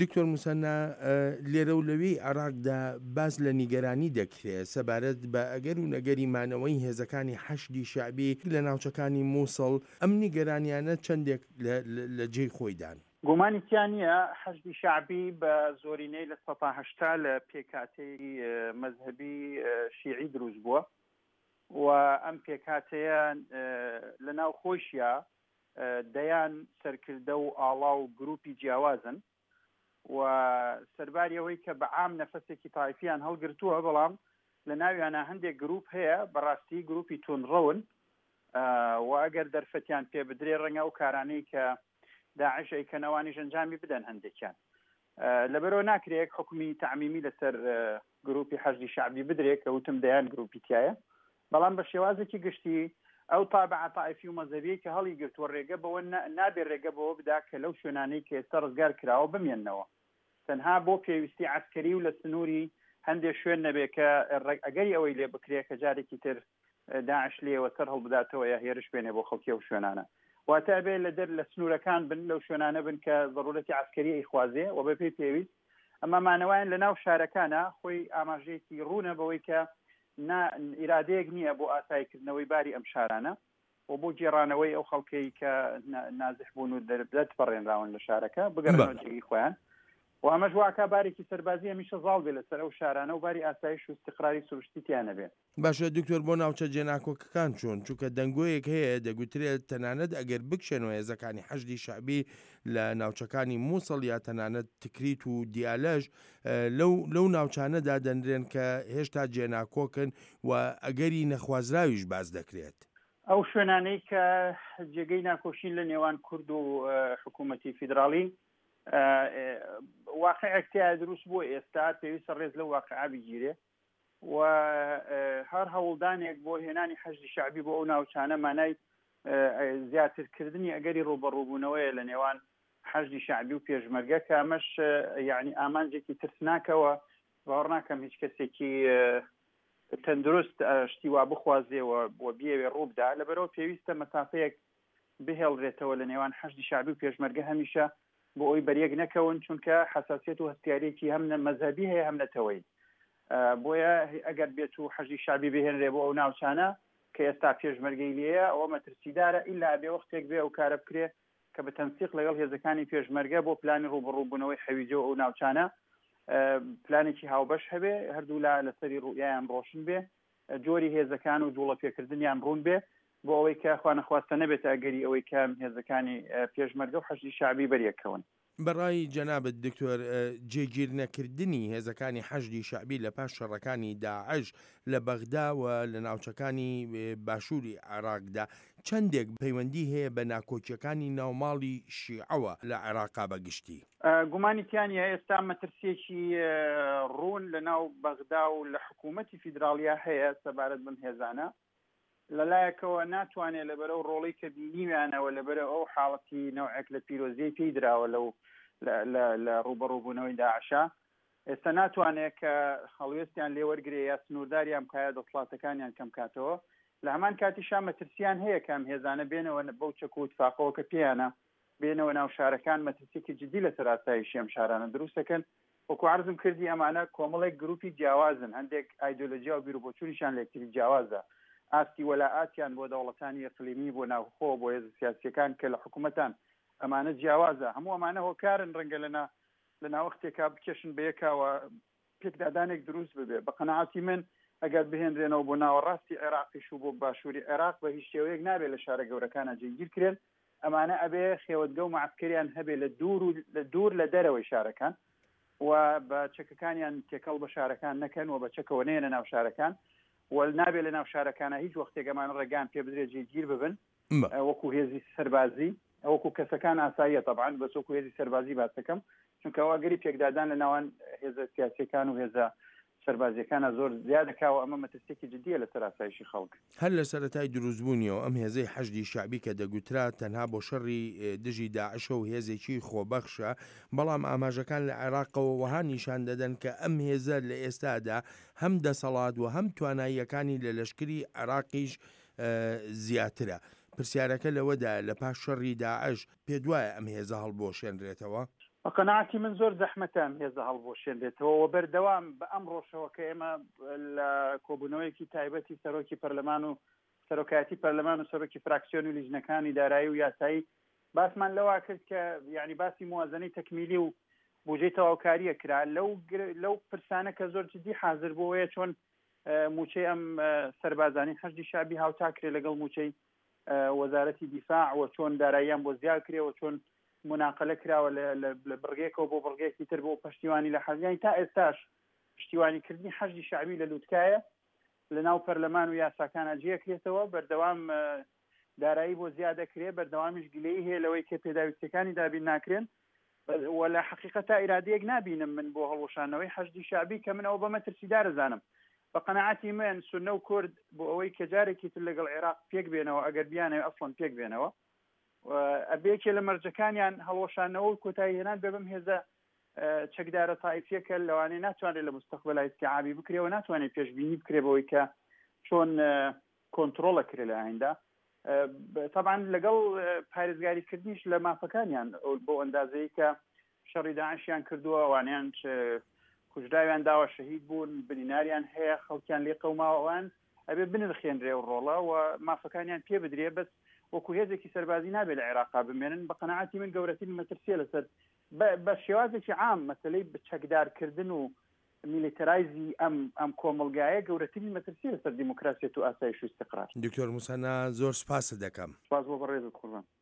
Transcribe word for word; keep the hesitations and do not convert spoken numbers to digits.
دکتۆر موسەننا، لێرە و لەوێی عێراقدا باس لە نیگەرانی دەکرێت سەبارەت بە ئەگەر و نەگەری مانەوەی هێزەکانی حەشدی شەعبی لە ناوچەکانی موسڵ، ئەم نیگەرانیانە چەندێک لە جێی خۆیدان؟ گومانی تیا نییە حەشدی شەعبی بە زۆرینەی لە سەتا هەشتا لە پێکهاتەی مەزهەبی شیعی دروست بووە و ئەم پێکهاتەیە لە ناو خۆیشیا دەیان سەرکردە و ئاڵا و گروپی جیاوازن و سەرباری ئەوەی کە بە عام نەفەسێکی تایفیان هەڵگرتووە، بەڵام لە ناویانە هەندێک گروپ هەیە بەڕاستی گروپی توندڕەون و ئەگەر دەرفەتیان پێ بدرێ ڕەنگە ئەو کارانەی کە داعش ئەیکەنەوانیش ئەنجامی بدەن هەندێکیان. لەبەرەوە ناکرێت حکومی تەعمیمی لەسەر گروپی حەشدی شەعبی بدرێت کە وتم دەیان گروپی تایە، بەڵام بە شێوازێکی گشتی ئەو تابعە تائیفی و مەزهەبیەی کە هەڵی گرتووە ڕێگە بەوە نابێ ڕێگە بەوە بدا کە لەو شوێنانەی کە ئێستا ڕزگار کراوە بمێننەوە، تەنها بۆ پێویستی عەسکەری و لە سنووری هەندێک شوێن نەبێ کە ئەگەری ئەوەی لێ بکرێ کە جارێکی تر داعش لێوە سەر هەڵبداتەوە یا هێرش بێنێ بۆ خەڵکی ئەو شوێنانە. واتە ئەبێ لە دەر لە سنوورەکان بن، لەو شوێنانە بن کە ضرورەتی عەسکەری ئەیخوازێ و بەپێی پێویست. ئەما مانەوەیان لە ناو شارەکانە خۆی ئاماژەیەکی ڕوونە بەوەی کە نا ئیرادەیەک نییە بۆ ئاساییکردنەوەی باری ئەم شارانە و بۆ گێڕانەوەی ئەو خەڵکەی کە نازح بوون و دەرپەڕێنراون لە شارەکە بگەڕێنەوە جێگەی خۆیان. و ئەمەش واکا بارێکی سەربازی هەمیشە زاڵ بێ لەسەر ئەو شارانە و باری ئاسایش و استقراری سروشتی تیا نەبێ. باشە دکتۆر، بۆ ناوچە جێناکۆکەکان چۆن؟ چونکە دەنگۆیەک هەیە دەگوترێت تەنانەت ئەگەر بکشێنەوە هێزەکانی حەشدی شەعبی لە ناوچەکانی مووسڵ یا تەنانەت تکریت و دیالەش لەو لەو ناوچانەدا دەنرێن کە هێشتا جێناکۆکن و ئەگەری نەخوازراویش باز دەکرێت. ئەو شوێنانەی کە جێگەی ناکۆشین لە نێوان کورد و حکوومەتی فیدراڵی واقعێک تیا دروست بووە ئێستا پێویستە ڕێز لەو واقعە بگیرێ و هەر هەوڵدانێک بۆ هێنانی حەشدی شەعبی بۆ ئەو ناوچانە مانای زیاترکردنی ئەگەری ڕووبەڕووبوونەوەیە لە نێوان حەشدی شەعبی و پێشمەرگە، کە ئەمەش یعنی ئامانجێکی ترسناکەوە. باوەڕ ناکەم هیچ کەسێکی تەندروست شتی وا بخوازێ و بیەوێ ڕووبدا. لەبەرەوە پێویستە مەسافەیەک بهێڵرێتەوە لە نێوان حەشدی شەعبی و پێشمەرگە هەمیشە بۆ ئەوی بەریەک نەکەون، چونکە حساسیەت و هەستیاریەکی هەم مەزهەبی هەیە هەم نەتەوەیی. بۆیە ئەگەر بێت و حەشدی شەعبی بهێنرێ بۆ ئەو ناوچانە کە ئێستا پێشمەرگەی لێیە ئەوە مەترسیدارە، ئیلا بێ وەختێک بێ ئەو کارە بکرێ کە بە تەنسیق لەگەڵ هێزەکانی پێشمەرگە بۆ پلانی ڕووبەڕووبوونەوەی حەویجە و ئەو ناوچانە پلانێکی هاوبەش هەبێ، هەردوو لا لەسەری ڕوئیایان ڕۆشن بێ، جۆری هێزەکان و جوڵە پێکردنیان ڕوون بێ بۆ ئەوەی کە خوانەخواستە نەبێتە ئەگەری ئەوەی کە هێزەکانی پێشمەرگە و حەشدی شەعبی بەریەکەون. بەڕای جەنابت دکتۆر، جێگیر نەکردنی هێزەکانی حەشدی شەعبی لە پاش شەڕەکانی داعش لە بەغدا و لە ناوچەکانی باشووری عێراقدا چەندێک پەیوەندی هەیە بە ناکۆکیەکانی ناوماڵی شیعەوە لە عێراقا بەگشتی؟ گومانی تیانە ئێستا مەترسیەکی ڕوون لە ناو بەغدا و لە حکوومەتی فیدراڵیا هەیە سەبارەت بەم هێزانە. لەلایەکەوە ناتوانێت لەبەرەو ڕۆڵی کە بینیویانەوە لەبەرە ئەو حاڵەتی نەوعێک لە پیرۆزیەی پێی دراوە لەو لە ڕووبەڕووبوونەوەی داعشا، ئێستا ناتوانێت کە هەڵوێستیان لێوەرگێ یا سنوورداریان بکایە دەسڵاتەکانیان کەم کاتەوە. لە هەمان کاتیشا مەترسیان هەیە کە ئەم هێزانە بێنەوە بەو چەک و اتفاقەوە کە پێیانە بێنەوە ناو شارەکان، مەترسیەکی جدی لەسەر ئاسایشی ئەم شارانە دروست دەکەن. وەکو عەرزم کردی ئەمانە کۆمەڵێک گروپی جیاوازن، هەندێک ئایدۆلۆژیا و بیرروبۆچوونیشان لە یەکتری جیاوازە، ئاستی وەلائاتیان بۆ دەوڵەتانی ئەقلیمی بۆ ناوخۆ بۆ هێزە سیاسیەکان کە لە حکوومەتان ئەمانە جیاوازە. هەموو ئەمانە هۆکارن ڕەنگە لەنا لە ناوەختێکا بکێشن بەیەکاوە پێکدادانێک دروست ببێ. بە قەناعەتی من ئەگەر بهێنرێنەوە بۆ ناوەڕاستی عێراقیش و بۆ باشووری عێراق بە هیچ شێوەیەک نابێت لە شارە گەورەکانە جێگیر کرێن. ئەمانە ئەبێ خێوەتگە و معسکەریان هەبێ لە دوور و لە دوور لە دەرەوەی شارەکان و بە چەکەکانیان تێکەڵ بە شارەکان نەکەن و بە چەکەوە نێنە ناو شارەکان و نابێت لە ناو شارەکانە هیچ وەختێک ئەمانە ڕێگان پێ بدرێت جێگیر ببن وەکو هێزی سەربازی، وەکو کەسەکان ئاساییە طبعا، بەس وەکو هێزی سەربازی باسەکەم، چونکە ئەو ئەگەری پێکدادان لە ناوان هێزە سیاسیەکان و هێزە سەربازیەکانە زۆر زیادەکاوە، ئەمە مەترسیەکی جدیە لەسەر ئاسایشی خەڵک. هەر لە سەرەتای دروستبوونیەوە ئەم هێزەی حەشدی شەعبی کە دەگوترا تەنها بۆ شەڕی دژی داعشە و هێزێکی خۆبەخشە، بەڵام ئاماژەکان لە عێراقەوە وەها نیشان دەدەن کە ئەم هێزە لە ئێستادا هەم دەسەڵات و هەم تواناییەکانی لە لەشکری عێراقیش زیاترە. پرسیارەکە لەوەدا لە پاش شەڕی داعش پێدوایە ئەم هێزە هەڵبۆشێنرێتەوە؟ بە قەناعەتی من زۆر زەحمەتە ئەم هێزە هەڵبوەشێنرێتەوە و بەردەوام بە ئەمڕۆشەوە کە ئێمە لە کۆبوونەوەیەکی تایبەتی سەرۆکی پەرلەمان و سەرۆکایەتی پەرلەمان و سەرۆکی فراکسیۆن و لیژنەکانی دارایی و یاسایی باسمان لەوە کرد کە یعنی باسی موازنەی تەکمیلی و بودجەی تەواوکاریە کرا لەو لەو پرسانە کە زۆر جدی حاضر بۆیە چۆن موچەی ئەم سەربازانی حەشدی شەعبی هاوتا کرێ لەگەڵ موچەی وەزارەتی دیفاع و چۆن داراییان بۆ زیاد کرێ و چۆن مناقلە کراوە لە بڕگێکەوە بۆ بڕگێکی تر بۆ پشتیوانی لە حەزیانی تا ئێستاش پشتیوانیکردنی حەشدی شەعبی لە لوتکایە لە ناو پەرلەمان و یاساکانە جێکرێتەوە، بەردەوام دارایی بۆ زیاد دەکرێ، بەردەوامیش گلەیی هەیە لەوەی کە پێداویستیەکانی دابین ناکرێن و لە حەقیقەتا ئیرادەیەک نابینم من بۆ هەڵوەشانەوەی حەشدی شەعبی کە من ئەوە بە مەترسیدار ئەزانم. بە قەناعەتی من سوننە و کورد بۆ ئەوەی کە جارێکی تر لەگەڵ عێراق پێک بێنەوە ئەگەر بیانەوێ ئەسڵەن پێک بێنەوە ئەبێ یەکێ لە مەرجەکانیان هەڵوەشانەوە و کۆتایی هێنان بێ بەم هێزە چەکدارە تائیفیە کە لەوانەیە ناتوانرێت لە مستەقبەلا ئیستیعابی بکرێ و ناتوانێت پێشبینی بکرێ بەوەی کە چۆن کۆنترۆڵە کرێ لە ئایندا طبعا لەگەڵ پارێزگاریکردنیش لە مافەکانیان بۆ ئەندازەی کە شەڕی داعشیان کردووە ئەوانیان کوژراویان داوە شەهید بوون بریناریان هەیە خەڵکیان لێ قەوماوە ئەوان ئەبێ بنرخێنرێ و ڕۆڵە و مافەکانیان پێ بدرێ بەس وەکو هێزێکی سەربازی نابێت لە عێراقا بمێنن بە قەناعەتی من گەورەترین مەترسیە لەسەر بە شێوازێکی عام مەسلەی چەکدارکردن و میلیتەرایزی ئەم ئەم کۆمەڵگایە گەورەترین مەترسیە لەسەر دیموکراسیەت و ئاسایش و ئیستقرار. دکتۆر موسەنا زۆر سوپاست دەکەم. سوپاس بۆ بەڕێزت قوربان.